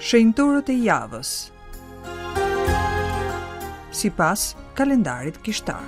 Shenjtorët e javës. Sipas kalendarit kishtar.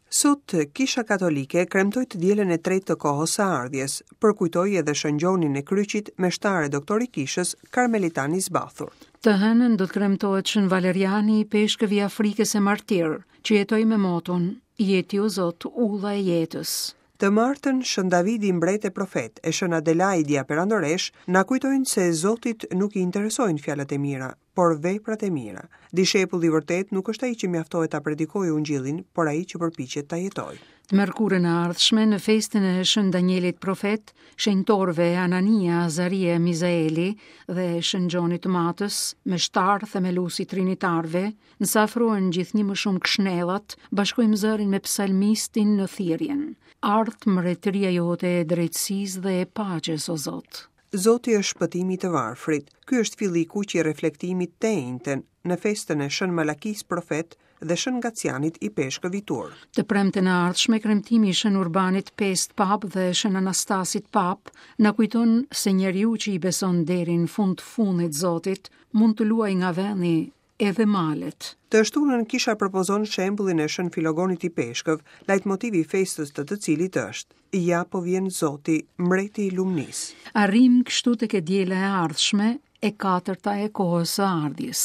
Sot, Kisha Katolike kremtoi të dielën e tretë të kohës së ardhjes, përkujtoi edhe Shën Gjonin e Kryqit, meshtar e doktor i Kishës, karmelitan i zbathur. Të hënën do të kremtohet Shën Valeriani, ipeshkëv i Afrikës e martir, që jetoi me moton, Je ti o Zot, ulla e jetës. Të martën, Shën Davidi mbret e profet e Shën Adelaidia perandoreshë na kujtojnë se Zotit nuk i interesojnë fjalët e mira, por veprat e mira. Dishepulli i vërtetë nuk është ai që mjaftohet ta predikojë Ungjillin, por ai që përpiqet ta jetojë. Të mërkurën e ardhshme, në festën e Shën Danielit profet, shenjtorëve Anania, Azaria e Mizaeli dhe Shën Gjonit të Matës, meshtar themelues i trinitarëve, Nëse afrohen gjithnjë më shumë këshnellat, bashkojmë zërin me psalmistin në thirrjen. Ardhtë mbretëria jote e drejtësisë dhe e paqes, o Zot. Zoti është shpëtimi i të varfrit. Ky është filli i kuq i reflektimit të enjten, në festën e Shën Malakisë profet dhe Shën Gacianit ipeshkëv i Tur. Të premten e ardhshme, kremtimi i Shën Urbanit V Papë dhe Shën Anastasit Papë na kujton se njeriu që i beson deri në fund të fundit Zotit, mund të luajë nga vendi edhe malet. Të shtunën kisha propozon shembullin e Shën Filogonit ipeshkëv, lajtmotivi i festës të të cilit është, Ja po vjen Zoti, mbreti i lumnisë. Arrijmë kështu tek e diela e ardhshme, e katërta e kohës së ardhjes.